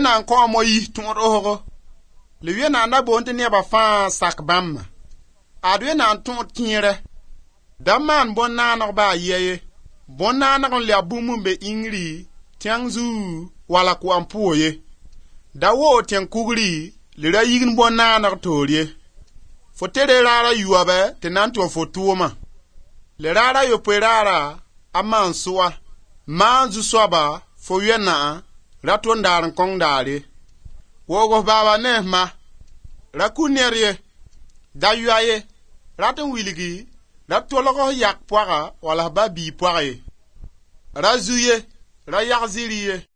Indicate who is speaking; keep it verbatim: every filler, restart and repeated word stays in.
Speaker 1: na ko mo yi tun roho le wi na na bo ntene ba fa sak bam adwe na tun tiere daman bon na na ba yeye bon na na le abumu be ingri tiangzu wala ku ampuoye dawo tiang kugri le ra yigin bon na na torie fotere rara yuabe tenanto fotuoma le rara yo perara amansua manzu swaba fo yena raton daran kong dare wogo baba ne ma rakunerie dayuaye raton wiligi ratologo yak poara wala babi poare razuye rayakziriye